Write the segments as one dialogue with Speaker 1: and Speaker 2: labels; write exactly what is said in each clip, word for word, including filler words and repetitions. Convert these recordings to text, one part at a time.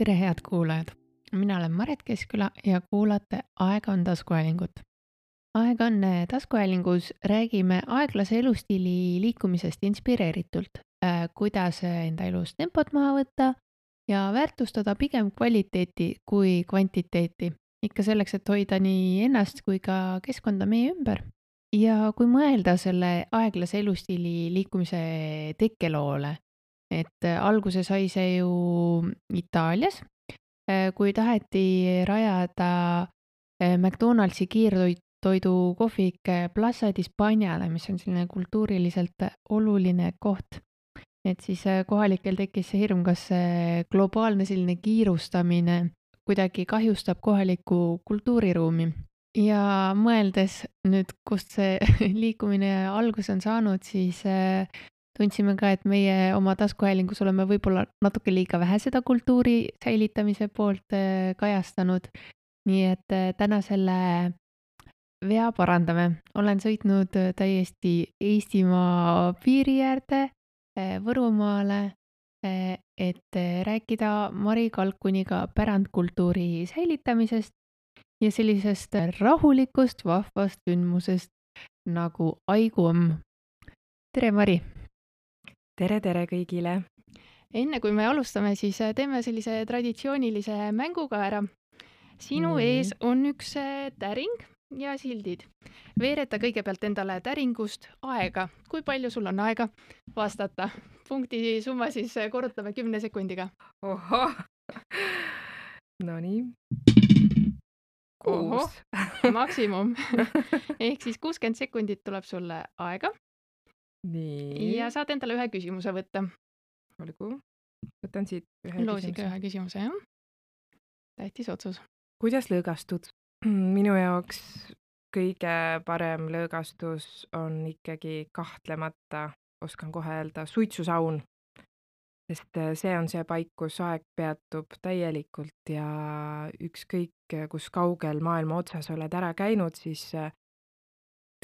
Speaker 1: tere, head kuulajad! Mina olen Maret Keskküla ja kuulate Aeg on taskuhäälingut. Aeg on eh, taskuhäälingus räägime aeglase elustiili liikumisest inspireeritult, äh, kuidas eh, enda elus tempot maha võtta ja väärtustada pigem kvaliteeti kui kvantiteeti. Ikka selleks, et hoida nii ennast kui ka keskkonda meie ümber. Ja kui mõelda selle aeglase elustiili liikumise tekkeloole, et eh, alguse sai see ju Itaalias, eh, kui taheti rajada eh, McDonaldsi kiirtoidu kohvik eh, Plaza d'Hispaaniale, mis on selline kultuuriliselt oluline koht. Et siis eh, kohalikel tekkis see hirm, kas see globaalne selline kiirustamine kuidagi kahjustab kohalikku kultuuriruumi. Ja mõeldes nüüd, kust see liikumine alguse on saanud, siis eh, tundsime ka, et meie oma taskuhäälingus oleme võib-olla natuke liiga vähe seda kultuuri säilitamise poolt eh, kajastanud. Nii et eh, täna selle vea parandame. Olen sõitnud eh, täiesti Eestimaa piiri äärde, eh, Võrumaale, eh, et eh, rääkida Mari Kalkuniga pärandkultuuri säilitamisest ja sellisest rahulikust, vahvast sündmusest nagu Aiguamm. Tere, Mari!
Speaker 2: Tere, tere kõigile!
Speaker 1: Enne kui me alustame, siis eh, teeme sellise traditsioonilise mänguga ära. Sinu
Speaker 2: Nii.
Speaker 1: ees on üks eh, täring ja sildid. Veereta kõigepealt endale täringust aega. Kui palju sul on aega vastata? Punkti summa siis eh, korrutame kümne sekundiga.
Speaker 2: Ohoh! Nonii.
Speaker 1: Ohoh,
Speaker 2: Kuus.
Speaker 1: maksimum. Ehk siis kuuskümmend sekundit tuleb sulle aega
Speaker 2: Nii.
Speaker 1: ja saad endale ühe küsimuse võtta.
Speaker 2: Olgu. Võtan siit ühe
Speaker 1: Loosige
Speaker 2: küsimuse.
Speaker 1: ühe küsimuse, jah. Tähtis otsus.
Speaker 2: Kuidas lõõgastud? Minu jaoks kõige parem lõõgastus on ikkagi kahtlemata, oskan kohe öelda, suitsusaun. Sest eh, see on see paik, kus aeg peatub täielikult ja ükskõik, kus kaugel maailma otsas oled ära käinud, siis eh,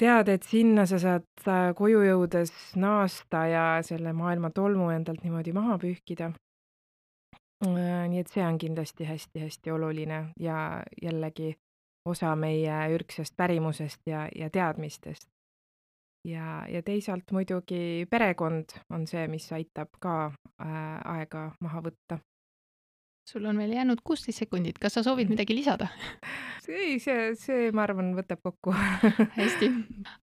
Speaker 2: tead, et sinna sa saad äh, koju jõudes naasta ja selle maailma tolmu endalt niimoodi maha pühkida. Äh, Nii et see on kindlasti hästi-hästi oluline ja jällegi osa meie ürgsest pärimusest ja, ja teadmistest. Ja, ja teisalt muidugi perekond on see, mis aitab ka äh, aega maha võtta.
Speaker 1: Sul on veel jäänud kuusteist sekundit. Kas sa soovid midagi lisada?
Speaker 2: See, see, see ma arvan, võtab kokku.
Speaker 1: Hästi.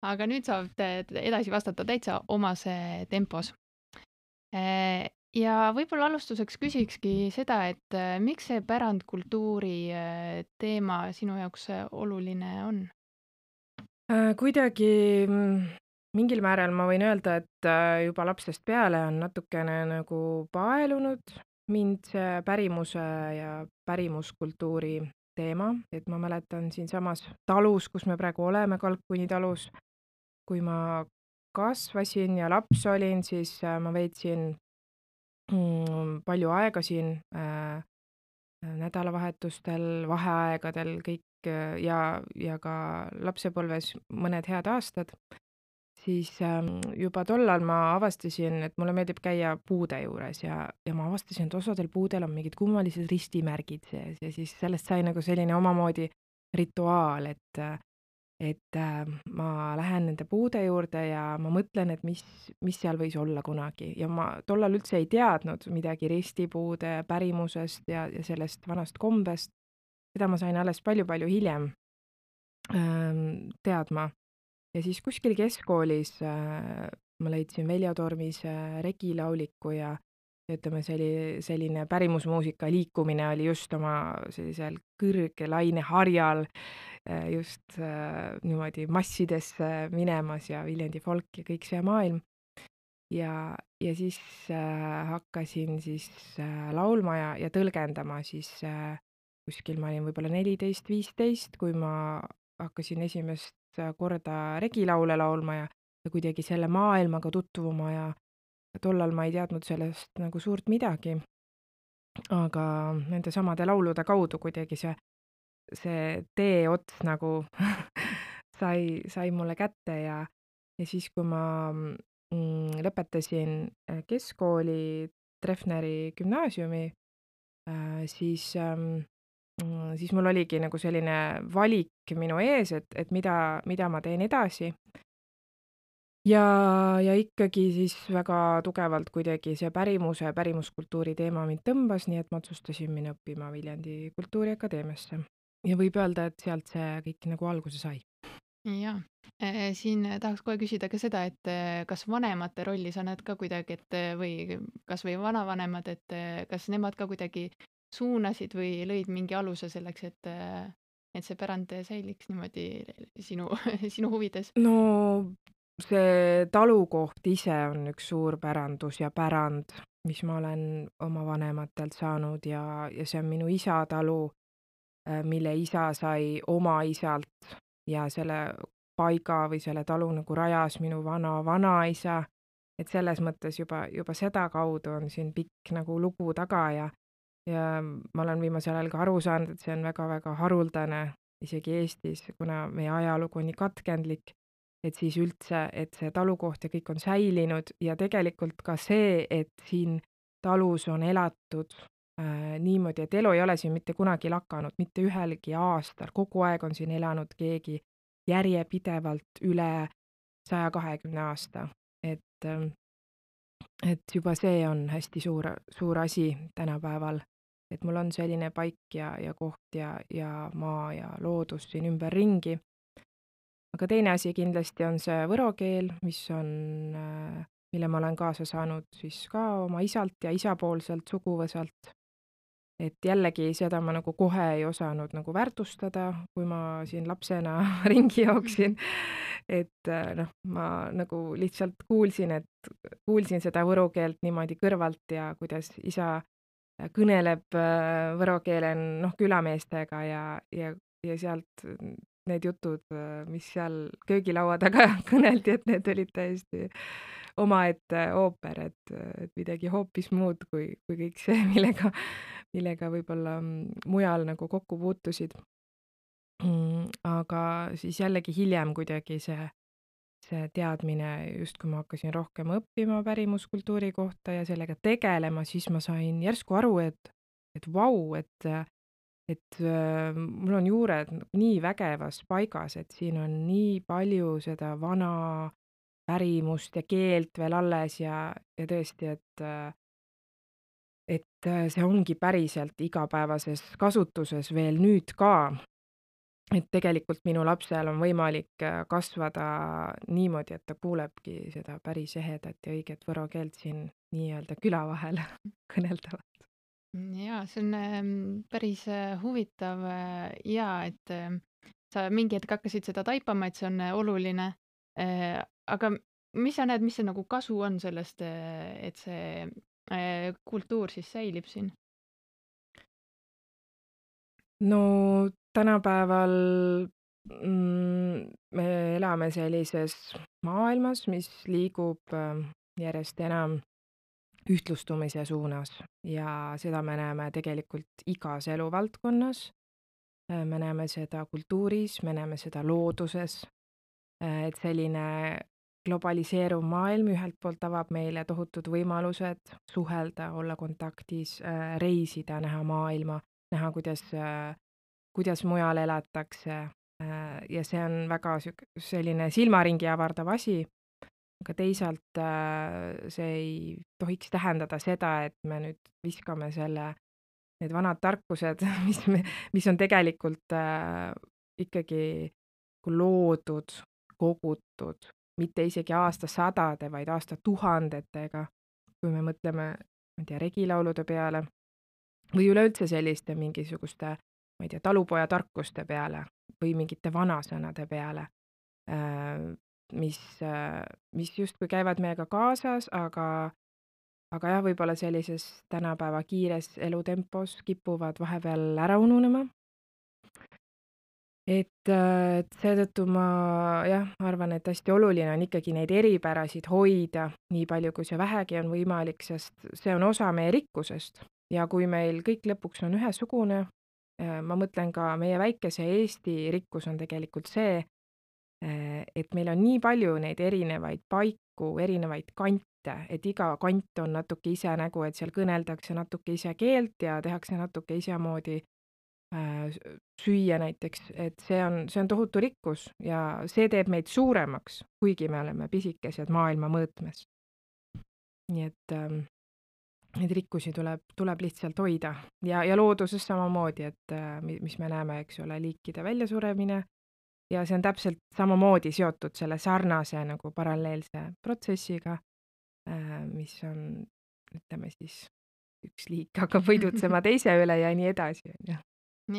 Speaker 1: Aga nüüd saab te- te- edasi vastata täitsa omas eh, tempos. Eh, Ja võib-olla alustuseks küsikski seda, et eh, miks see pärandkultuuri eh, teema sinu jaoks eh, oluline on?
Speaker 2: Äh, Kuidagi mm, mingil määral ma võin öelda, et äh, juba lapsest peale on natukene nagu paelunud mind see pärimuse ja pärimuskultuuri teema, et ma mäletan siinsamas talus, kus me praegu oleme, Kalkuni talus, kui ma kasvasin ja laps olin, siis äh, ma veetsin mm, palju aega siin äh, nädalavahetustel, vaheaegadel kõik äh, ja, ja ka lapsepõlves mõned head aastad, siis ähm, juba tollal ma avastasin, et mulle meeldib käia puude juures ja, ja ma avastasin, et osadel puudel on mingid kummalised ristimärgid sees ja siis sellest sai nagu selline omamoodi rituaal, et äh, et äh, ma lähen nende puude juurde ja ma mõtlen, et mis, mis seal võis olla kunagi ja ma tollal üldse ei teadnud midagi ristipuude pärimusest ja, ja sellest vanast kombest. Seda ma sain alles palju-palju hiljem ähm, teadma. Ja siis kuskil keskkoolis äh, ma leidsin Veljo Tormise regilauliku ja ütleme, see oli selline pärimusmuusika liikumine oli just oma sellisel kõrge laineharjal äh, just äh, niimoodi massidesse minemas ja Viljandi folk ja kõik see maailm. Ja, ja siis äh, hakkasin siis äh, laulma ja, ja tõlgendama siis äh, kuskil ma olin võib-olla neliteist viisteist, kui ma hakkasin esimest korda regilaule laulma ja, ja kuidagi selle maailmaga tutvuma ja tollal ma ei teadnud sellest nagu suurt midagi. Aga nende samade laulude kaudu kuidagi see, see teeots nagu sai, sai mulle kätte ja, ja siis, kui ma mm, lõpetasin keskkooli Treffneri gümnaasiumi, äh, siis ähm, mm, siis mul oligi nagu selline valik minu ees, et et mida mida ma teen edasi. Ja ja ikkagi siis väga tugevalt kuidagi see pärimuse, pärimuskultuuri teema mind tõmbas, nii et ma otsustasin minna õppima Viljandi Kultuuriakadeemiasse. Ja võib öelda, et sealt see kõik nagu alguse sai.
Speaker 1: Jaa. Äh, siin tahaks kohe küsida ka seda, et äh, kas vanemate rolli sa näed ka kuidagi, et äh, või kas või vanavanemad, et äh, kas nemad ka kuidagi suunasid või lõid mingi aluse selleks, et äh, et see pärand säiliks niimoodi sinu sinu huvides?
Speaker 2: No see talukoht ise on üks suur pärandus ja pärand, mis ma olen oma vanematelt saanud ja ja see on minu isa talu, äh, mille isa sai oma isalt ja selle paiga või selle talu nagu rajas minu vana-vanaisa. Et selles mõttes juba juba sedakaudu on siin pikk nagu lugu taga ja ja ma olen viimasel ajal ka aru saanud, et see on väga-väga haruldane isegi Eestis, kuna meie ajalugu on nii katkendlik, et siis üldse, et see talukoht ja kõik on säilinud ja tegelikult ka see, et siin talus on elatud äh, niimoodi, et elu ei ole siin mitte kunagi lakanud, mitte ühelgi aastal, kogu aeg on siin elanud keegi järjepidevalt üle saja kahekümne aasta. Et, ähm, et juba see on hästi suur, suur asi tänapäeval, et mul on selline paik ja, ja koht ja, ja maa ja loodus siin ümberringi. Aga teine asi kindlasti on see võro keel, mis on, äh, mille ma olen kaasa saanud siis ka oma isalt ja isapoolselt suguvõsalt. Et jällegi seda ma nagu kohe ei osanud nagu väärtustada, kui ma siin lapsena ringi jooksin. Et äh, noh, ma nagu lihtsalt kuulsin, et kuulsin seda võro keelt niimoodi kõrvalt ja kuidas isa kõneleb äh, võro keelen noh, külameestega ja, ja, ja sealt need jutud, äh, mis seal köögilaua taga kõneldi, et need olid täiesti omaette ooper, et, et midagi hoopis muud kui, kui kõik see, millega, millega võib-olla mm, mujal nagu kokku puutusid. Mm, aga siis jällegi hiljem kuidagi see, see teadmine, just kui ma hakkasin rohkem õppima pärimuskultuuri kohta ja sellega tegelema, siis ma sain järsku aru, et, et vau, et, et äh, mul on juured nii vägevas paigas, et siin on nii palju seda vana pärimust ja keelt veel alles ja, ja tõesti, et äh, et äh, see ongi päriselt igapäevases kasutuses veel nüüd ka. Et tegelikult minu lapsel on võimalik äh, kasvada niimoodi, et ta kuulebki seda päris ehedat ja õiget võro keelt siin nii-öelda küla vahel kõneldavat.
Speaker 1: Jaa, see on ähm, päris äh, huvitav äh, ja et äh, sa mingi hetk hakkasid seda taipama, et see on äh, oluline. Äh, aga mis sa näed, mis see nagu kasu on sellest, äh, et see äh, kultuur siis säilib siin?
Speaker 2: No tänapäeval mm, me elame sellises maailmas, mis liigub äh, järjest enam ühtlustumise suunas ja seda me näeme tegelikult igas eluvaldkonnas. Äh, Me näeme seda kultuuris, me näeme seda looduses, äh, et selline globaliseeruv maailm ühelt poolt avab meile tohutud võimalused suhelda, olla kontaktis, äh, reisida, näha maailma, näha, kuidas, äh, kuidas mujal elatakse. äh, Ja see on väga siuk- selline silmaringi avardav asi, aga teisalt äh, see ei tohiks tähendada seda, et me nüüd viskame selle, need vanad tarkused, mis me, mis on tegelikult äh, ikkagi loodud, kogutud, mitte isegi aastasadade, vaid aastatuhandetega, kui me mõtleme, ma ei tea, regilaulude peale või üleüldse selliste mingisuguste, ma ei tea, talupojatarkuste peale või mingite vanasõnade peale, äh, mis, äh, mis justkui käivad meiega kaasas, aga aga jah, võib-olla sellises tänapäeva kiires elutempos kipuvad vahepeal ära ununema. Et, äh, et seetõttu ma jah, arvan, et hästi oluline on ikkagi neid eripärasid hoida nii palju, kui see vähegi on võimalik, sest see on osa meie rikkusest. Ja kui meil kõik lõpuks on ühesugune, äh, ma mõtlen ka meie väikese Eesti rikkus on tegelikult see, äh, et meil on nii palju neid erinevaid paiku kokku erinevaid kante, et iga kant on natuke ise nägu, et seal kõneldakse natuke ise keelt ja tehakse natuke isemoodi äh, s- süüa näiteks, et see on, see on tohutu rikkus ja see teeb meid suuremaks, kuigi me oleme pisikesed maailma mõõtmes. nii et ähm, neid rikkusi tuleb, tuleb lihtsalt hoida ja, ja looduses samamoodi, et äh, mi- mis me näeme, eks ole, liikide väljasuremine ja see on täpselt samamoodi seotud selle sarnase nagu paralleelse protsessiga, äh, mis on, ütleme siis, üks liik hakkab võidutsema teise üle ja nii edasi, on ju.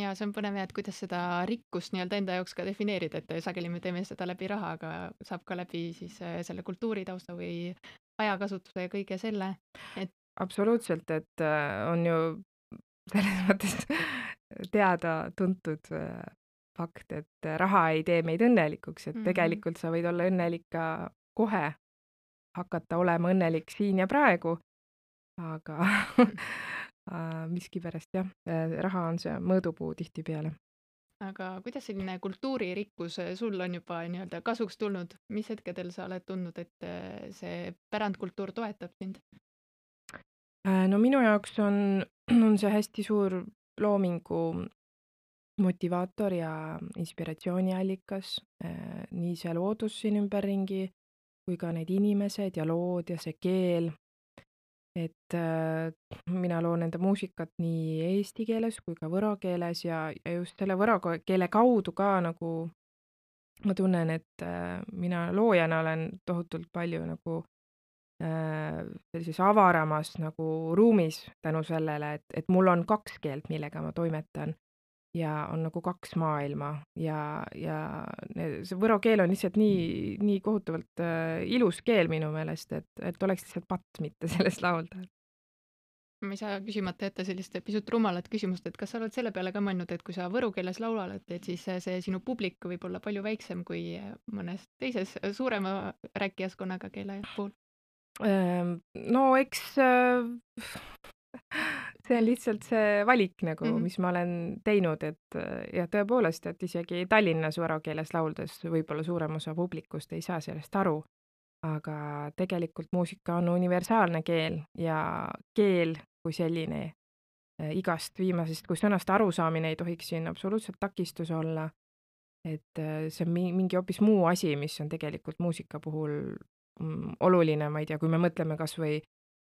Speaker 1: ja see on põnev jah, et kuidas seda rikkust nii-öelda enda jaoks ka defineerida, et sageli me teeme seda läbi raha, aga saab ka läbi siis äh, selle kultuuritausta või ajakasutuse ja kõige selle, et
Speaker 2: Absoluutselt, et äh, on ju selles mõttes teada-tuntud äh, fakt, et raha ei tee meid õnnelikuks, et
Speaker 1: Mhm.
Speaker 2: tegelikult sa võid olla õnnelik ka kohe, hakata olema õnnelik siin ja praegu, aga äh, miskipärast jah, äh, raha on see mõõdupuu tihtipeale.
Speaker 1: aga kuidas selline kultuuririkkus äh, sul on juba nii-öelda kasuks tulnud, mis hetkedel sa oled tundnud, et äh, see pärandkultuur toetab sind?
Speaker 2: Äh, No minu jaoks on, on see hästi suur loomingu motivaator ja inspiratsiooniallikas, äh, nii see loodus siin ümberringi kui ka need inimesed ja lood ja see keel. Et äh, mina loon enda muusikat nii eesti keeles kui ka võro keeles ja, ja just selle võro ko- keele kaudu ka nagu ma tunnen, et äh, mina loojana olen tohutult palju nagu äh, sellises avaramas nagu ruumis tänu sellele, et, et mul on kaks keelt, millega ma toimetan ja on nagu kaks maailma ja, ja ne- see võro keel on lihtsalt nii, nii kohutavalt äh, ilus keel minu meelest, et, et oleks lihtsalt patt mitte sellest laulda.
Speaker 1: ma ei saa küsimata jätta sellist pisut rumalat küsimust, et kas sa oled selle peale ka mõelnud, et kui sa võru keeles laulad, et siis see, see sinu publik võib olla palju väiksem kui mõnes teises suurema rääkijaskonnaga keele puhul?
Speaker 2: Ehm, No eks äh, see on lihtsalt see valik nagu,
Speaker 1: Mhm.
Speaker 2: mis ma olen teinud, et äh, ja tõepoolest, et isegi Tallinnas võro keeles lauldes võib-olla suurem osa publikust ei saa sellest aru, aga tegelikult muusika on universaalne keel ja keel kui selline äh, igast viimasest kui sõnast arusaamine ei tohiks siin absoluutselt takistus olla, et äh, see on mi- mingi hoopis muu asi, mis on tegelikult muusika puhul mm, oluline, ma ei tea, kui me mõtleme kas või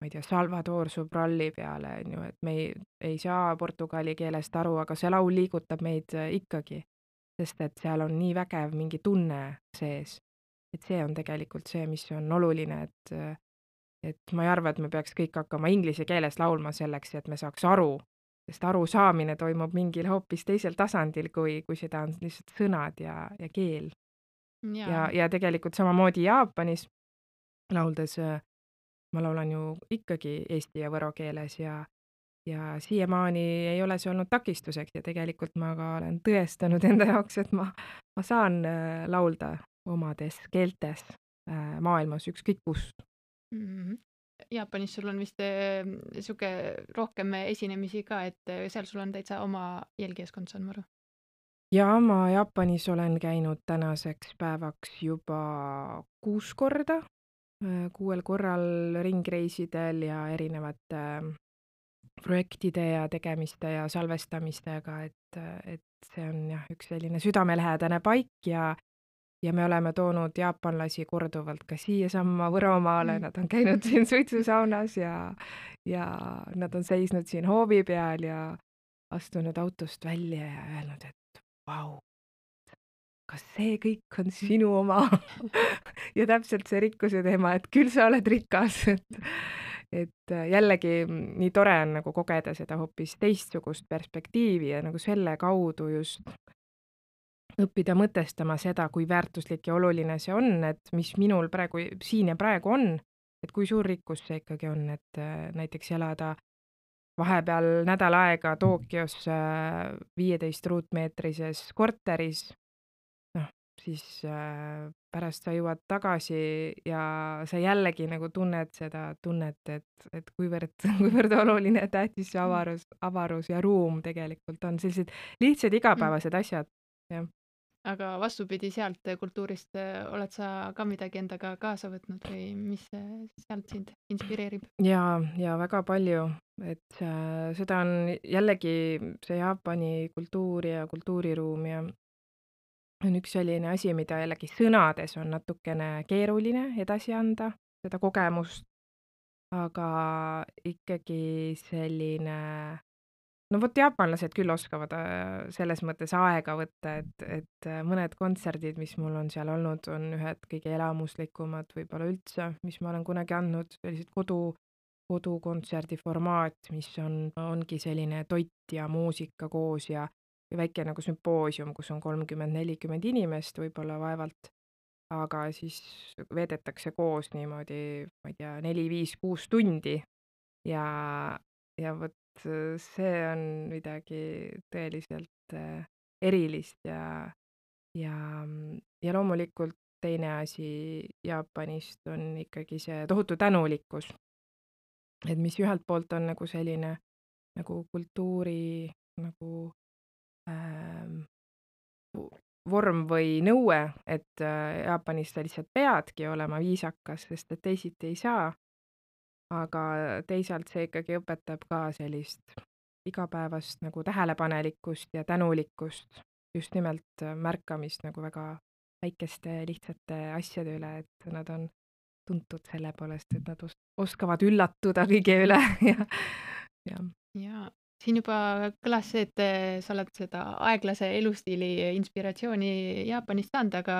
Speaker 2: ma ei tea, Salvador Sobralli peale, on ju, et me ei, ei saa portugali keelest aru, aga see laul liigutab meid äh, ikkagi, sest et seal on nii vägev mingi tunne sees. et see on tegelikult see, mis on oluline, et äh, et ma ei arva, et me peaks kõik hakkama inglise keeles laulma selleks, et me saaks aru, sest arusaamine toimub mingil hoopis teisel tasandil, kui, kui seda on lihtsalt sõnad ja, ja keel.
Speaker 1: ja,
Speaker 2: ja, ja tegelikult samamoodi Jaapanis lauldes äh, ma laulan ju ikkagi eesti ja võro keeles ja, ja siiamaani ei ole see olnud takistuseks ja tegelikult ma ka olen tõestanud enda jaoks, et ma, ma saan äh, laulda omades keeltes äh, maailmas ükskõik kus.
Speaker 1: Mhm. Jaapanis sul on vist äh, sihuke rohkem esinemisi ka, et äh, seal sul on täitsa oma jälgijaskond, saan ma aru.
Speaker 2: Ja ma Jaapanis olen käinud tänaseks päevaks juba kuus korda, äh, kuuel korral ringreisidel ja erinevate äh, projektide ja tegemiste ja salvestamistega, et, et see on jah, üks selline südamelähedane paik ja ja me oleme toonud jaapanlasi korduvalt ka siiasamma Võromaale,
Speaker 1: Mm.
Speaker 2: nad on käinud siin suitsusaunas ja ja nad on seisnud siin hoovi peal ja astunud autost välja ja öelnud, et vau, kas see kõik on sinu oma? ja täpselt see rikkuse teema, et küll sa oled rikas, et et jällegi mm, nii tore on nagu kogeda seda hoopis teistsugust perspektiivi ja nagu selle kaudu just õppida mõtestama seda, kui väärtuslik ja oluline see on, et mis minul praegu siin ja praegu on, et kui suur rikkus see ikkagi on, et äh, näiteks elada vahepeal nädal aega Tokyos äh, viieteist ruutmeetrises korteris, noh, siis äh, pärast sa jõuad tagasi ja sa jällegi nagu tunned seda tunnet, et, et kuivõrd, kuivõrd oluline ja tähtis see avarus, avarus ja ruum tegelikult on, sellised lihtsad igapäevased asjad, jah.
Speaker 1: aga vastupidi sealt kultuurist äh, oled sa ka midagi endaga kaasa võtnud või mis äh, sealt sind inspireerib?
Speaker 2: Ja, ja väga palju, et äh, seda on jällegi see Jaapani kultuur ja kultuuriruum ja on üks selline asi, mida jällegi sõnades on natukene keeruline edasi anda, seda kogemust, aga ikkagi selline, no vot jaapanlased küll oskavad äh, selles mõttes aega võtta, et, et äh, mõned kontserdid, mis mul on seal olnud, on ühed kõige elamuslikumad võib-olla üldse, mis ma olen kunagi andnud, sellised kodu, kodukontserdi formaat, mis on, ongi selline toit ja muusika koos ja, ja väike nagu sümpoosium, kus on kolmkümmend nelikümmend inimest võib-olla vaevalt, aga siis veedetakse koos niimoodi, ma ei tea, neli, viis, kuus tundi ja, ja vot äh, see on midagi tõeliselt äh, erilist ja, ja, mm, ja loomulikult teine asi Jaapanist on ikkagi see tohutu tänulikkus, et mis ühelt poolt on nagu selline nagu kultuuri nagu ähm, vorm või nõue, et äh, Jaapanis sa lihtsalt peadki olema viisakas, sest et teisiti ei saa, aga teisalt see ikkagi õpetab ka sellist igapäevast nagu tähelepanelikkust ja tänulikkust, just nimelt äh, märkamist nagu väga väikeste lihtsate asjade üle, et nad on tuntud selle poolest, et nad os oskavad üllatuda kõige üle ja, ja.
Speaker 1: Ja siin juba kõlas see, et äh, sa oled seda aeglase elustiili inspiratsiooni Jaapanist saanud, aga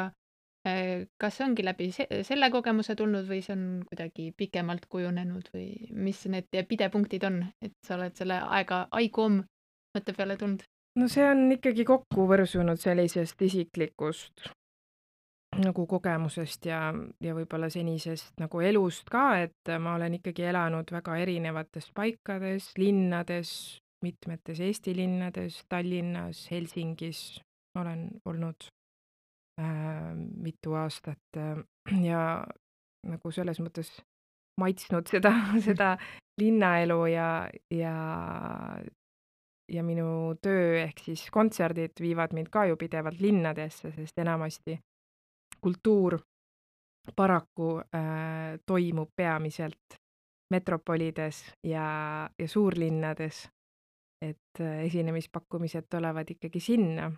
Speaker 1: äh, kas see ongi läbi se selle kogemuse tulnud või see on kuidagi pikemalt kujunenud või mis need pidepunktid on, et sa oled selle aega Aikom mõtte peale tulnud?
Speaker 2: No see on ikkagi kokku võrsunud sellisest isiklikust nagu kogemusest ja, ja võib-olla senisest nagu elust ka, et ma olen ikkagi elanud väga erinevates paikades, linnades, mitmetes Eesti linnades, Tallinnas, Helsingis olen olnud äh, mitu aastat äh, ja nagu selles mõttes maitsnud seda, seda linnaelu ja, ja, ja minu töö ehk siis kontserdid viivad mind ka ju pidevalt linnadesse, sest enamasti kultuur paraku äh, toimub peamiselt metropolides ja, ja suurlinnades, et äh, esinemispakkumised tulevad ikkagi sinna.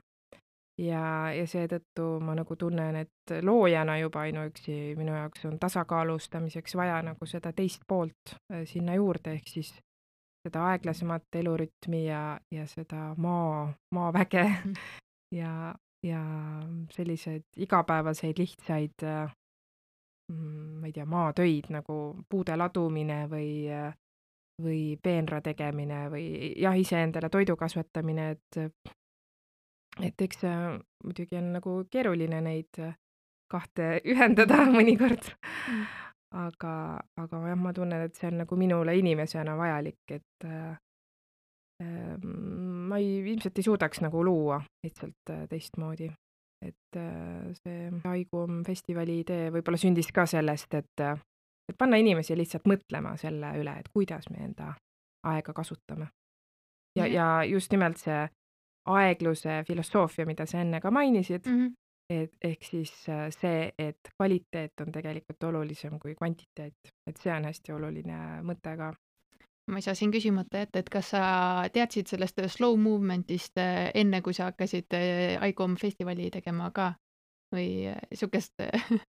Speaker 2: Ja, ja seetõttu ma nagu tunnen, et loojana juba ainuüksi minu jaoks on tasakaalustamiseks vaja nagu seda teist poolt äh, sinna juurde, ehk siis seda aeglasemat elurütmi ja, ja seda maa, maaväge ja, ja selliseid igapäevaseid lihtsaid äh, mm, ma ei tea, maatöid nagu puude ladumine või, äh, või peenra tegemine või jah, iseendale toidu kasvatamine, et, et eks see muidugi on nagu keeruline neid äh, kahte ühendada mõnikord.
Speaker 1: Mm.
Speaker 2: aga, aga jah, ma tunnen, et see on nagu minule inimesena vajalik, et äh, ma ei, ilmselt ei suudaks nagu luua lihtsalt äh, teistmoodi. Et äh, see Aikom festivali idee võib-olla sündis ka sellest, et, äh, et panna inimesi lihtsalt mõtlema selle üle, et kuidas me enda aega kasutame. Ja,
Speaker 1: Ja.
Speaker 2: ja just nimelt see aegluse filosoofia, mida sa enne ka mainisid,
Speaker 1: Mhm.
Speaker 2: et ehk siis äh, see, et kvaliteet on tegelikult olulisem kui kvantiteet, et see on hästi oluline mõte ka.
Speaker 1: Ma ei saa siin küsimata jätta, et kas sa teadsid sellest slow movement'ist äh, enne, kui sa hakkasid äh, Aikom festivali tegema ka või äh, sihukest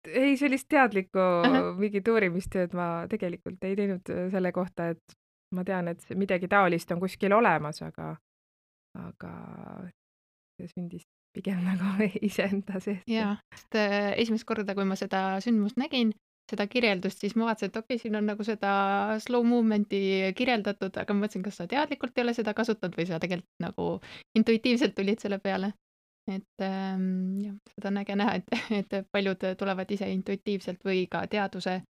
Speaker 2: Ei, sellist teadlikku
Speaker 1: Ahah.
Speaker 2: mingit uurimistööd ma tegelikult ei teinud äh, selle kohta, et ma tean, et see midagi taolist on kuskil olemas, aga, aga see sündis pigem nagu iseenda seest.
Speaker 1: Jaa, sest äh, esimest korda, kui ma seda sündmust nägin, seda kirjeldust, siis ma vaatasin, et okei okay,, siin on nagu seda slow movement'i kirjeldatud, aga ma mõtlesin, kas sa teadlikult ei ole seda kasutanud või sa tegelikult nagu intuitiivselt tulid selle peale. Et ähm, jah, seda on äge näha, et, et paljud tulevad ise intuitiivselt või ka teaduse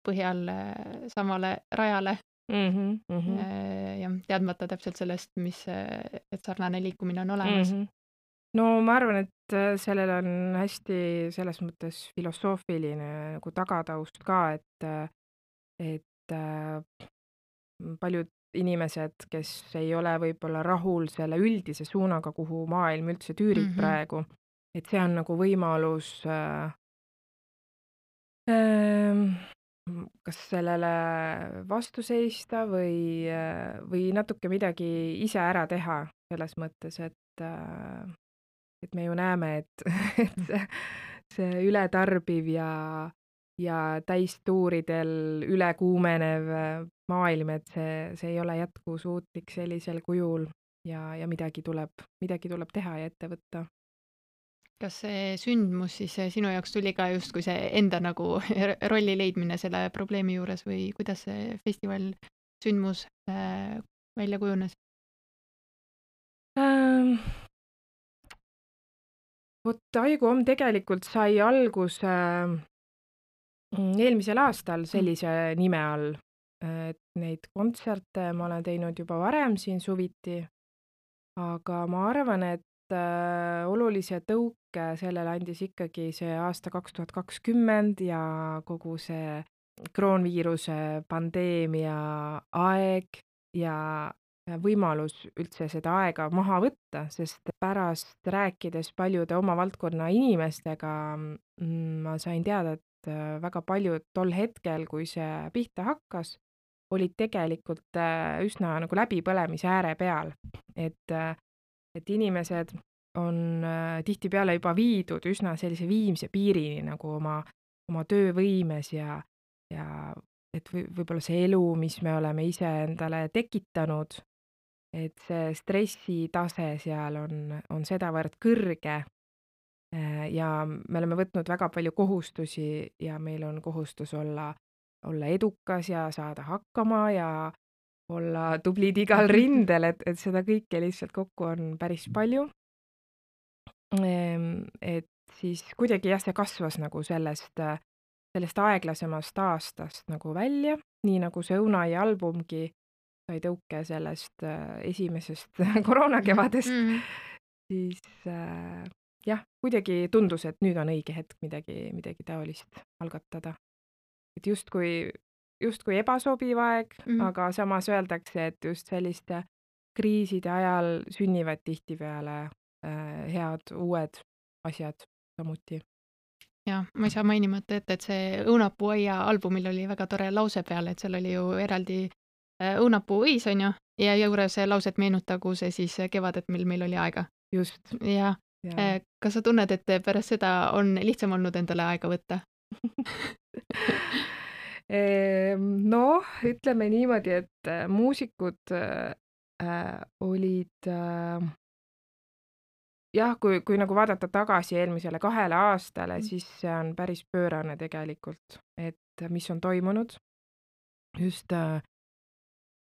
Speaker 1: põhjal äh, samale rajale
Speaker 2: Mhm, mhm,
Speaker 1: äh, ja teadmata täpselt sellest, mis, äh, et sarnane liikumine on olemas.
Speaker 2: mhm. No ma arvan, et äh, sellel on hästi selles mõttes filosoofiline nagu tagataust ka, et, äh, et äh, paljud inimesed, kes ei ole võib-olla rahul selle üldise suunaga, kuhu maailm üldse tüürib
Speaker 1: Mhm.
Speaker 2: praegu, et see on nagu võimalus äh, ähm, m kas sellele vastu seista või äh, või natuke midagi ise ära teha selles mõttes, et äh, et me ju näeme, et et see see ületarbiv ja ja täistuuridel ülekuumenev maailm, et see see ei ole jätkusuutlik sellisel kujul ja ja midagi tuleb midagi tuleb teha ja ette võtta.
Speaker 1: Kas see sündmus siis eh, sinu jaoks tuli ka justkui see enda nagu r rolli leidmine selle probleemi juures või kuidas see festival, sündmus äh, välja kujunes?
Speaker 2: Ähm vot Aiguhomm tegelikult sai alguse mm, eelmisel aastal
Speaker 1: Mm.
Speaker 2: sellise nime all. Et neid kontserte ma olen teinud juba varem siin suviti, aga ma arvan, et äh, olulise tõuke sellele andis ikkagi see aasta kaks tuhat kakskümmend ja kogu see kroonviiruse pandeemia aeg ja ja võimalus üldse seda aega maha võtta, sest pärast rääkides paljude oma valdkonna inimestega mm, ma sain teada, et äh, väga paljud tol hetkel, kui see pihta hakkas, olid tegelikult äh, üsna nagu läbipõlemise ääre peal. Et äh, et inimesed on äh, tihtipeale juba viidud üsna sellise viimse piirini nagu oma oma töövõimes ja ja et või võib-olla see elu, mis me oleme ise endale tekitanud, et see stressitase seal on on sedavõrd kõrge, äh, ja me oleme võtnud väga palju kohustusi ja meil on kohustus olla olla edukas ja saada hakkama ja olla tublid igal rindel, et et seda kõike lihtsalt kokku on päris palju. Ehm, et siis kuidagi jah, see kasvas nagu sellest äh, sellest aeglasemast aastast nagu välja, nii nagu see Õunai albumgi sai tõuke sellest äh, esimesest koroonakevadest,
Speaker 1: Mhm.
Speaker 2: siis äh, jah, kuidagi tundus, et nüüd on õige hetk midagi midagi taolist algatada. Et justkui justkui ebasobiv aeg,
Speaker 1: Mhm.
Speaker 2: aga samas öeldakse, et just selliste kriiside ajal sünnivad tihtipeale äh, head uued asjad samuti.
Speaker 1: Jah, ma ei saa mainimata jätta, et see Õunapuu aia albumil oli väga tore lause peal, et seal oli ju eraldi äh, õunapuuõis, on ju, ja juures lause, et meenutagu see siis kevadet, mil meil oli aega.
Speaker 2: Just,
Speaker 1: Jah,
Speaker 2: jaa.
Speaker 1: äh, kas sa tunned, et pärast seda on lihtsam olnud endale aega võtta?
Speaker 2: Ehm, noh, ütleme niimoodi, et äh, muusikud äh, äh, olid äh, jah, kui kui nagu vaadata tagasi eelmisele kahele aastale,
Speaker 1: Mm.
Speaker 2: siis see on päris pöörane tegelikult, et mis on toimunud. Just äh,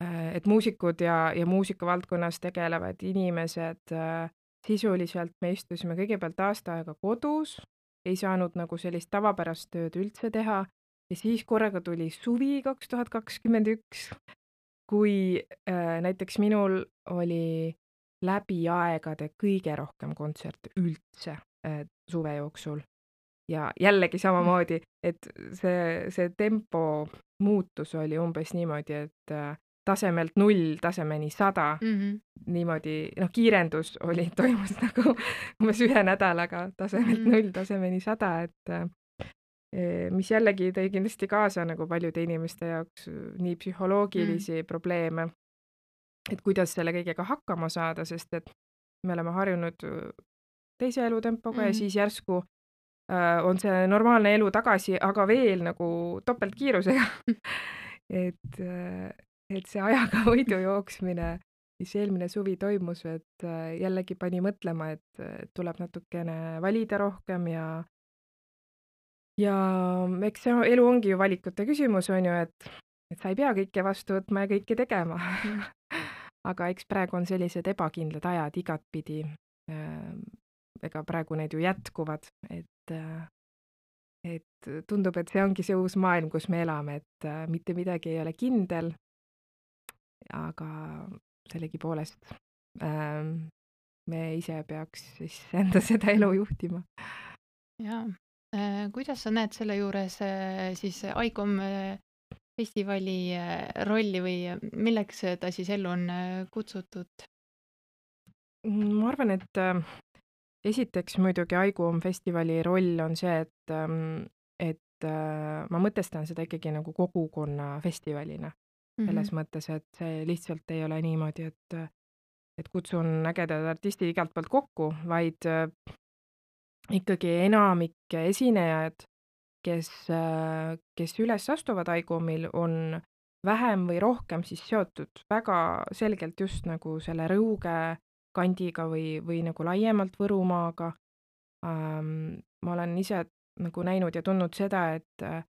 Speaker 2: äh, et muusikud ja ja muusikavaldkonnas tegelevad inimesed äh, sisuliselt me istusime kõigepealt aasta aega kodus, ei saanud nagu sellist tavapärast tööd üldse teha ja siis korraga tuli suvi kaks tuhat kakskümmend üks, kui äh, näiteks minul oli läbi aegade kõige rohkem kontserte üldse äh, suve jooksul. Ja jällegi samamoodi, et see see tempo muutus oli umbes niimoodi, et äh, tasemelt null tasemeni sada,
Speaker 1: Mhm.
Speaker 2: niimoodi, noh, kiirendus oli, toimus nagu umbes ühe nädalaga tasemelt
Speaker 1: Mhm.
Speaker 2: null tasemeni sada, et äh, mis jällegi tõi kindlasti kaasa nagu paljude inimeste jaoks nii
Speaker 1: Mm.
Speaker 2: psühholoogilisi probleeme, et kuidas selle kõigega hakkama saada, sest et me oleme harjunud teise elutempoga ja
Speaker 1: Mhm.
Speaker 2: siis järsku äh, on see normaalne elu tagasi, aga veel nagu topeltkiirusega. et äh, et see ajaga võidu jooksmine, mis eelmine suvi toimus, et äh, jällegi pani mõtlema, et äh, tuleb natukene valida rohkem ja ja eks see elu ongi ju valikute küsimus, on ju, et et sa ei pea kõike vastu võtma ja kõike tegema.
Speaker 1: Mm.
Speaker 2: aga eks praegu on sellised ebakindlad ajad igatpidi. Ähm, ega praegu need ju jätkuvad, et äh, et tundub, et see ongi see uus maailm, kus me elame, et äh, mitte midagi ei ole kindel. aga sellegipoolest ähm, me ise peaks siis enda seda elu juhtima.
Speaker 1: Jaa. Äh, kuidas sa näed selle juures äh, siis Aiguhomm äh, festivali äh, rolli või milleks ta siis ellu on äh, kutsutud?
Speaker 2: Mm, ma arvan, et äh, Esiteks muidugi Aigum festivali roll on see, et, ähm, et äh, ma mõtestan seda ikkagi nagu kogukonna festivalina.
Speaker 1: Mhm.
Speaker 2: Selles mõttes, et see lihtsalt ei ole niimoodi, et, et kutsun ägedad artistid igalt poolt kokku, vaid äh, ikkagi enamik esinejad, kes, äh, kes üles astuvad Aigumil, on vähem või rohkem siis seotud väga selgelt just nagu selle Rõuge kandiga või, või nagu laiemalt Võrumaaga. Ähm, ma olen ise nagu näinud ja tundnud seda, et äh,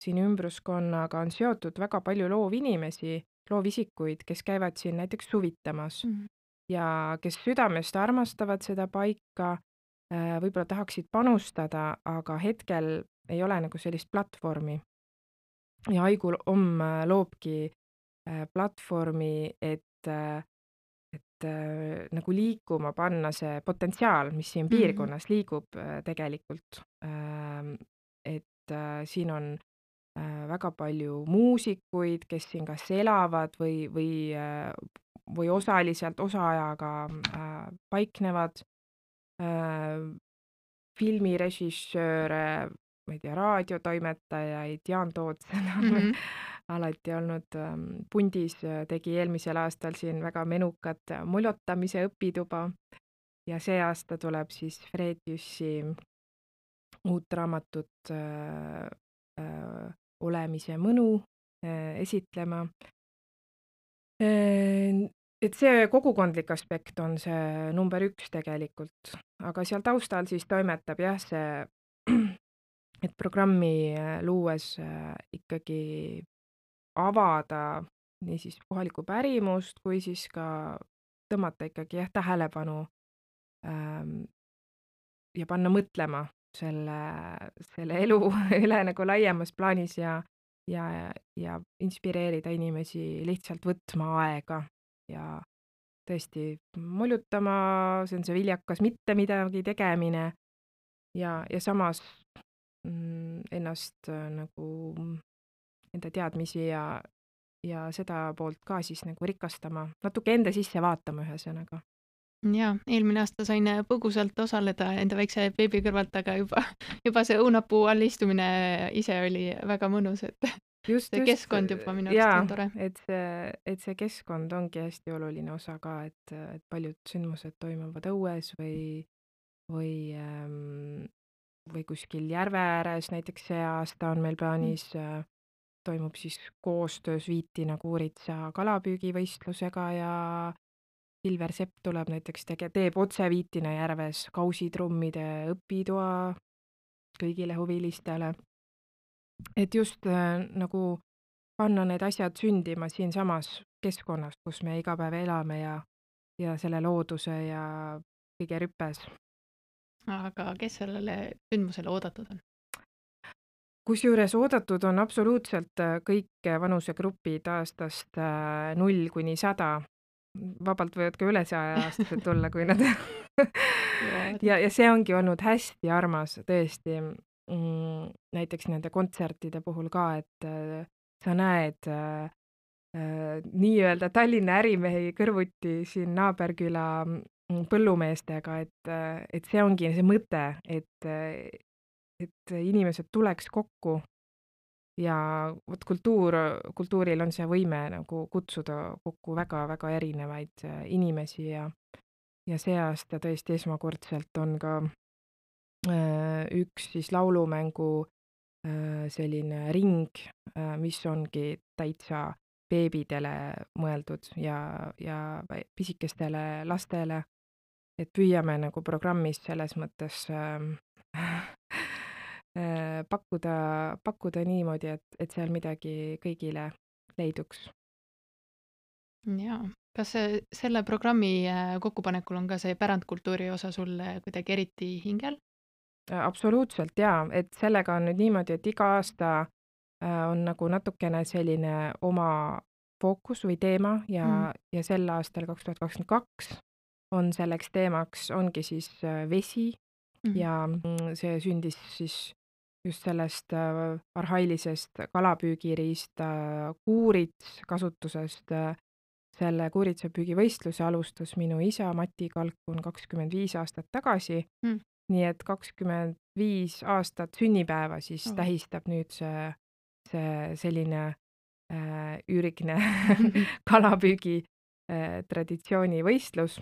Speaker 2: siin ümbruskonnaga on seotud väga palju loovinimesi, loovisikuid, kes käivad siin näiteks suvitamas
Speaker 1: Mhm.
Speaker 2: ja kes südamest armastavad seda paika, äh, võib-olla tahaksid panustada, aga hetkel ei ole nagu sellist platvormi. Ja Aigul Om äh, loobki äh, platvormi, et äh, et äh, nagu liikuma panna see potentsiaal, mis siin
Speaker 1: Mhm.
Speaker 2: piirkonnas liigub äh, tegelikult. Ähm, et äh, siin on äh, väga palju muusikuid, kes siin kas elavad või, või, äh, või osaliselt osaajaga äh, paiknevad, äh, filmirežissööre, ma ei tea, raadiotoimetajaid, Jaan Tootsen on meil
Speaker 1: Mhm.
Speaker 2: alati olnud ähm, pundis, äh, tegi eelmisel aastal siin väga menukat äh, muljotamise õpituba ja see aasta tuleb siis Fred Jüssi uut raamatut äh, äh, Olemise mõnu äh, esitlema. Äh, et see kogukondlik aspekt on see number üks tegelikult, aga seal taustal siis toimetab jah, see, et programmi äh, luues äh, ikkagi avada niisiis kohalikku pärimust, kui siis ka tõmmata ikkagi jah, tähelepanu ähm, ja panna mõtlema selle, selle elu üle nagu laiemas plaanis ja, ja, ja inspireerida inimesi lihtsalt võtma aega ja tõesti moljutama, see on see viljakas mitte midagi tegemine ja, ja samas mm, ennast äh, nagu enda teadmisi ja, ja seda poolt ka siis nagu rikastama, natuke enda sisse vaatama ühesõnaga.
Speaker 1: Jaa, eelmine aasta sain põgusalt osaleda enda väikse beebi kõrvalt, aga juba, juba see õunapuu all istumine ise oli väga mõnus, et
Speaker 2: Just,
Speaker 1: see
Speaker 2: just,
Speaker 1: keskkond juba minu arust
Speaker 2: jaa,
Speaker 1: on tore.
Speaker 2: et see, et see keskkond ongi hästi oluline osa ka, et, et paljud sündmused toimuvad õues või, või, ähm, või kuskil järve ääres, näiteks see aasta on meil
Speaker 1: Mm.
Speaker 2: plaanis, äh, toimub siis koostöös Viitina Kuuritsa kalapüügivõistlusega ja Silver Sepp tuleb näiteks tege-, teeb otse Viitina järves kausitrummide õpitoa kõigile huvilistele. Et just äh, nagu panna need asjad sündima siinsamas keskkonnas, kus me iga päev elame ja, ja selle looduse ja kõige rüpes.
Speaker 1: Aga kes sellele sündmusele oodatud on?
Speaker 2: Kusjuures oodatud on absoluutselt äh, kõik vanusegrupid aastast äh, null kuni sada. Vabalt võivad ka üle saja-aastased tulla, kui nad
Speaker 1: Jõuavad, jah.
Speaker 2: ja, ja see ongi olnud hästi armas tõesti mm, näiteks nende kontsertide puhul ka, et äh, sa näed äh, äh, nii-öelda Tallinna ärimehi kõrvuti siin naaberküla mm, põllumeestega, et, äh, et see ongi see mõte, et, äh, et inimesed tuleks kokku ja vot kultuur, kultuuril on see võime nagu kutsuda kokku väga-väga erinevaid äh, inimesi ja, ja see aasta tõesti esmakordselt on ka äh, üks siis laulumängu äh, selline ring, äh, mis ongi täitsa beebidele mõeldud ja, ja vä- pisikestele lastele, et püüame nagu programmis selles mõttes ähm, äh, pakkuda, pakkuda niimoodi, et, et seal midagi kõigile leiduks.
Speaker 1: Jaa. Kas see, selle programmi äh, kokkupanekul on ka see pärandkultuuri osa sulle kuidagi eriti hingel?
Speaker 2: Äh, absoluutselt jaa, et sellega on nüüd niimoodi, et iga aasta äh, on nagu natukene selline oma fookus või teema ja
Speaker 1: Mm.
Speaker 2: ja sel aastal kaks tuhat kakskümmend kaks on selleks teemaks, ongi siis äh, vesi
Speaker 1: Mhm.
Speaker 2: ja mm, see sündis siis just sellest äh, arhailisest kalapüügiriista kuurits kasutusest äh, selle kuuritsapüügivõistluse alustas minu isa Mati Kalkun kakskümmend viis aastat tagasi.
Speaker 1: Mm.
Speaker 2: Nii et kakskümmend viis aastat sünnipäeva siis
Speaker 1: Oh.
Speaker 2: tähistab nüüd see, see selline äh, üürigne kalapüügi äh, traditsioonivõistlus.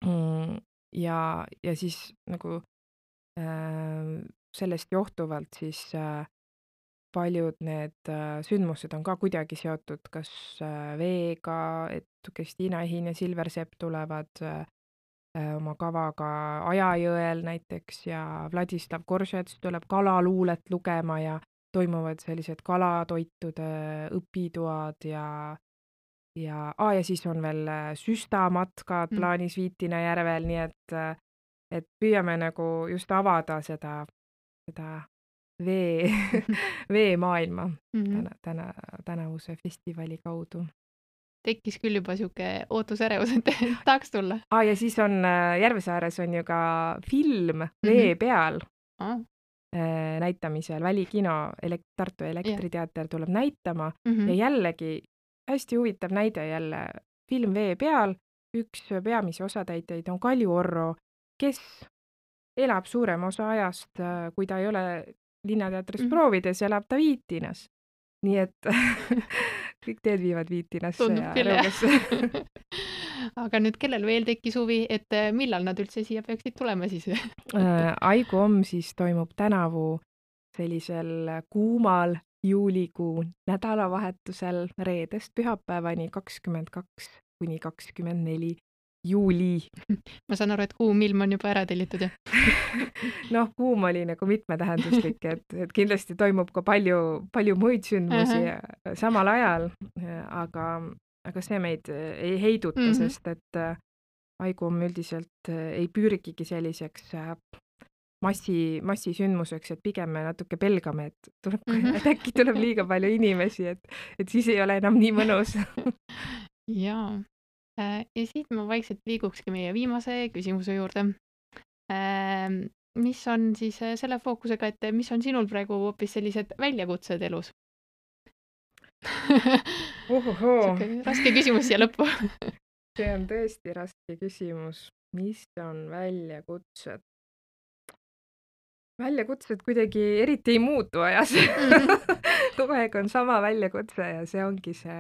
Speaker 2: Mm, ja, ja siis nagu äh, sellest johtuvalt siis äh, paljud need äh, sündmused on ka kuidagi seotud kas äh, veega, et Kristiina Ehin ja Silver Sepp tulevad äh, oma kavaga Ajajõel näiteks ja Vladislav Koržets tuleb kalaluulet lugema ja toimuvad sellised kalatoitude õpitoad ja ja, ah, ja siis on veel süstamatkad
Speaker 1: Mm.
Speaker 2: plaanis Viitina järvel, nii et, et püüame nagu just avada seda, seda vee, veemaailma
Speaker 1: Mhm.
Speaker 2: täna, täna, tänavuse festivali kaudu.
Speaker 1: Tekkis küll juba siuke ootusärevus, et tahaks tulla.
Speaker 2: Ah, ja siis on äh, Järvesaares on ju ka film Vee
Speaker 1: Mhm.
Speaker 2: peal
Speaker 1: Ah.
Speaker 2: äh, näitamisel, Välikino, elek- Tartu Elektriteater tuleb näitama
Speaker 1: Mhm.
Speaker 2: ja jällegi hästi huvitav näide jälle film Vee peal. Üks peamisi osatäitjaid on Kalju Orro, kes elab suurema osa ajast, äh, kui ta ei ole Linnateatris
Speaker 1: Mhm.
Speaker 2: proovides, elab ta Viitinas. Nii et kõik teed viivad Viitinasse
Speaker 1: Tundub
Speaker 2: ja
Speaker 1: küll, jah.
Speaker 2: Rõugasse.
Speaker 1: Aga nüüd kellel veel tekkis huvi, et äh, millal nad üldse siia peaksid tulema siis?
Speaker 2: Äh, Aiguomm siis toimub tänavu sellisel kuumal juulikuu nädalavahetusel reedest pühapäevani kakskümmend kaks kuni kakskümmend neli juuli.
Speaker 1: Ma saan aru, et kuum ilm on juba ära tellitud, jah?
Speaker 2: Noh, kuum oli nagu mitmetähenduslik, et, et kindlasti toimub ka palju, palju muid sündmusi
Speaker 1: Ahah.
Speaker 2: samal ajal, aga, aga see meid ei heiduta,
Speaker 1: Mhm.
Speaker 2: sest et äh, Aiguomm üldiselt äh, ei pürgigi selliseks äh, massi, massisündmuseks, et pigem me natuke pelgame, et, tuleb,
Speaker 1: Mhm.
Speaker 2: et äkki tuleb liiga palju inimesi, et, et siis ei ole enam nii mõnus.
Speaker 1: Jaa. Äh, Ja siit ma vaikselt liigukski meie viimase küsimuse juurde. Ähm, Mis on siis äh, selle fookusega, et mis on sinul praegu hoopis sellised väljakutsed elus?
Speaker 2: Ohohoo.
Speaker 1: Siuke raske küsimus siia lõppu.
Speaker 2: See on tõesti raske küsimus. Mis on väljakutsed? Väljakutsed kuidagi eriti ei muutu ajas.
Speaker 1: Mhm.
Speaker 2: Kogu aeg on sama väljakutse ja see ongi see,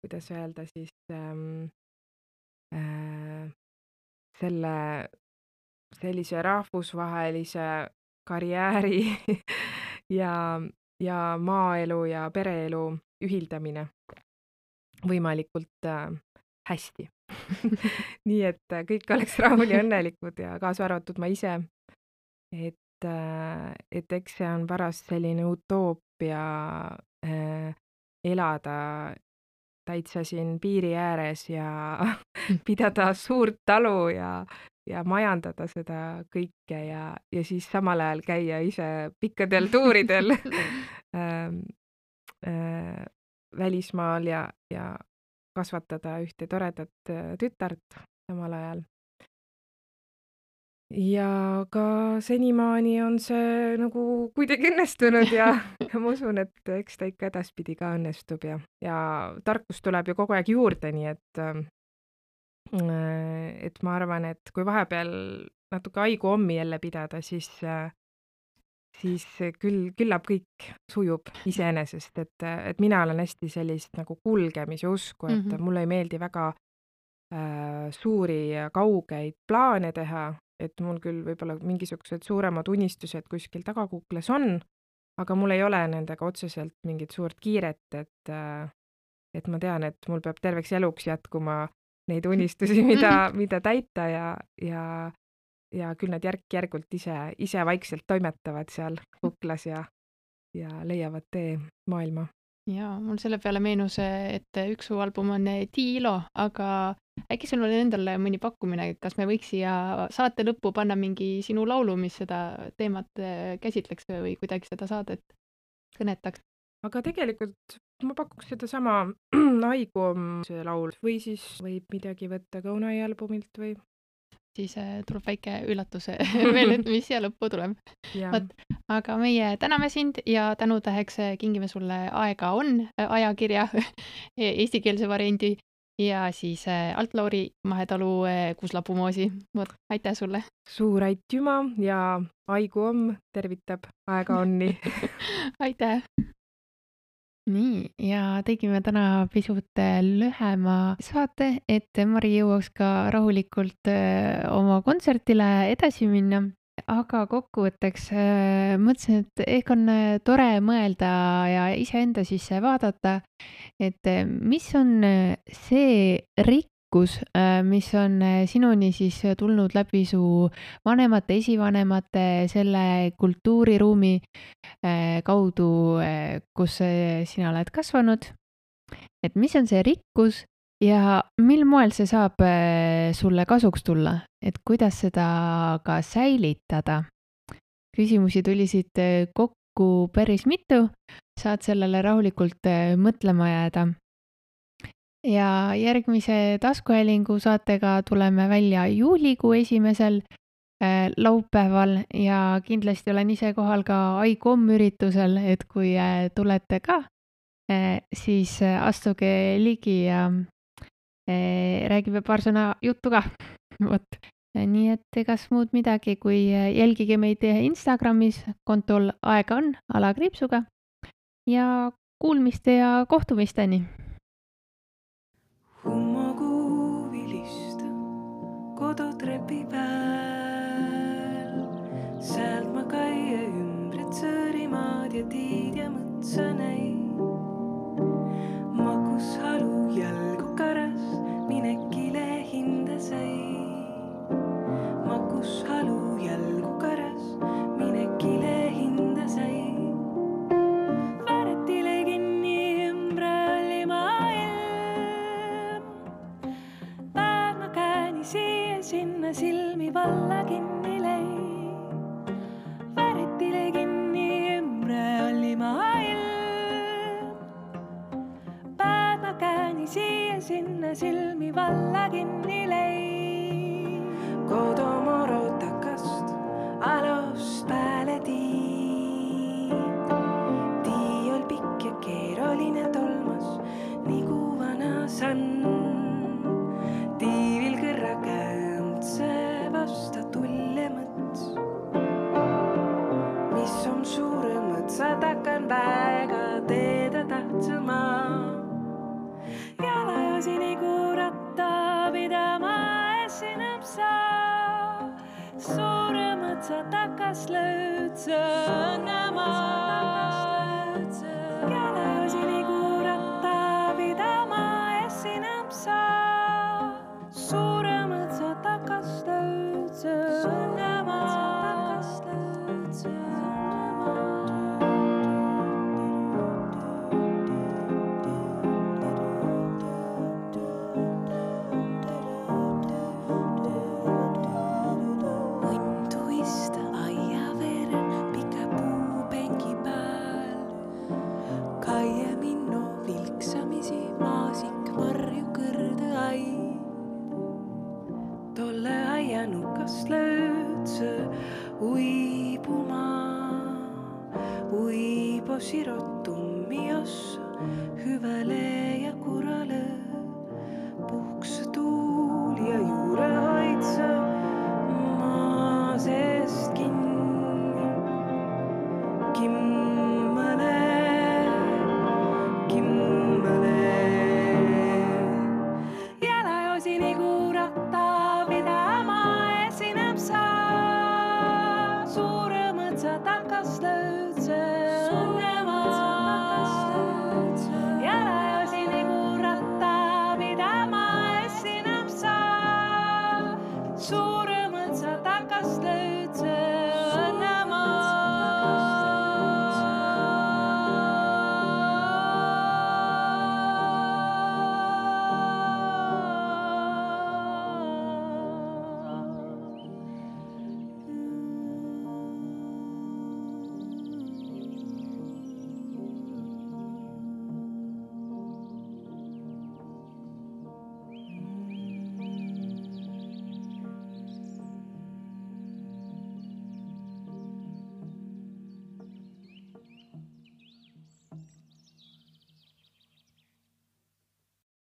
Speaker 2: kuidas öelda siis, ähm, äh, selle sellise rahvusvahelise karjääri ja, ja maaelu ja pereelu ühildamine võimalikult äh, hästi. Nii et äh, kõik oleks rahul ja õnnelikud ja kaasa arvatud ma ise. Et, äh, et eks see on pärast selline utoopia äh, elada täitsa siin piiri ääres ja pidada suurt talu ja, ja majandada seda kõike ja, ja siis samal ajal käia ise pikkadel tuuridel ähm, äh, välismaal ja, ja kasvatada ühte toredat äh, tütart samal ajal. Ja ka senimaani on see nagu kuidagi õnnestunud ja, ja ma usun, et eks ta ikka edaspidi ka õnnestub ja, ja tarkus tuleb ju kogu aeg juurde, nii et, et ma arvan, et kui vahepeal natuke Aiguommi jälle pidada, siis, siis küll, küllap kõik sujub iseenesest, et, et mina olen hästi sellist nagu kulgemise usku, et
Speaker 1: Mhm.
Speaker 2: mulle ei meeldi väga äh, suuri ja kaugeid plaane teha, et mul küll võib-olla mingisugused suuremad unistused kuskil tagakuklas on, aga mul ei ole nendega otseselt mingit suurt kiiret, et, et ma tean, et mul peab terveks eluks jätkuma neid unistusi, mida, mida täita ja, ja, ja küll nad järk-järgult ise, ise vaikselt toimetavad seal kuklas ja, ja leiavad tee maailma.
Speaker 1: Jaa, mul selle peale meenus, et üks su album on Tiilo, aga äkki sul on endal mõni pakkumine, et kas me võiks siia saate lõppu panna mingi sinu laulu, mis seda teemat käsitleks või kuidagi seda saadet kõnetaks?
Speaker 2: Aga tegelikult ma pakuks sedasama Aiguomm see laul või siis võib midagi võtta ka Unai albumilt või
Speaker 1: siis äh, tuleb väike üllatus veel, et mis siia lõppu tuleb.
Speaker 2: Jah.
Speaker 1: Vot, aga meie täname sind ja tänutäheks äh, kingime sulle Aega on äh, ajakirja eestikeelse variandi ja siis äh, Alt-Lauri Mahetalu äh, Kuuslapumoosi. Vot, aitäh sulle!
Speaker 2: Suur aitüma ja Aigu Omm tervitab Aega onni.
Speaker 1: Aitäh! Nii, ja tegime täna pisut äh, lühema saate, et Mari jõuaks ka rahulikult äh, oma kontsertile edasi minna. Aga kokkuvõtteks äh, mõtlesin, et ehk on äh, tore mõelda ja iseenda sisse vaadata, et äh, mis on äh, see rikkus, äh, mis on äh, sinuni siis tulnud läbi su vanemate, esivanemate, selle kultuuriruumi äh, kaudu, äh, kus äh, sina oled kasvanud. Et mis on see rikkus ja mil moel see saab äh, sulle kasuks tulla, et kuidas seda ka säilitada. Küsimusi tuli siit äh, kokku päris mitu, saad sellele rahulikult äh, mõtlema jääda. Ja järgmise taskuhäälingu saatega tuleme välja juulikuu esimesel äh, laupäeval ja kindlasti olen ise kohal ka Aigu Omm üritusel, et kui äh, tulete ka, äh, siis äh, astuge ligi ja äh, räägime paar sõna juttu ka. Vot. Nii et egas muud midagi, kui äh, jälgige meid Instagramis kontol Aega on alakriipsuga ja kuulmiste ja kohtumisteni.
Speaker 3: Hummokuu vilista kodutrepi peal. Sealt ma käia ümbret Sõõrimaad ja tiid ja mõtsa näin. Makus halu jalgu karas, minekile hinda sai. Makus halu jalgu karas, minekile hinda sai. Vääretile kinni ümbre oli maailm. Päev ma kääni siia sinna silmi valla kinni lõi. Vääretile kinni ümbre oli maailm. Päev ma kääni siia sinna silmi valla kinni lõi. Kodomoro takast alust pääle tii. Tii ol pikk ja keeroline tolmas, nigu vana sann. Tiivil kõrra kämtse vasta tulle mõts. Mis on suure mõtsa takan väga teeda tahtsama. Jalajosi nigu ratta pidama esineb sa. Suure mõtsa takas löödse õnnema. Jalajosi nigu ratta pidama esineb sa. Suure mõtsa takas löödse õnnema. Nukas löödse uibuma, uibo sirottummi ossa, hüvele ja kurale, puhks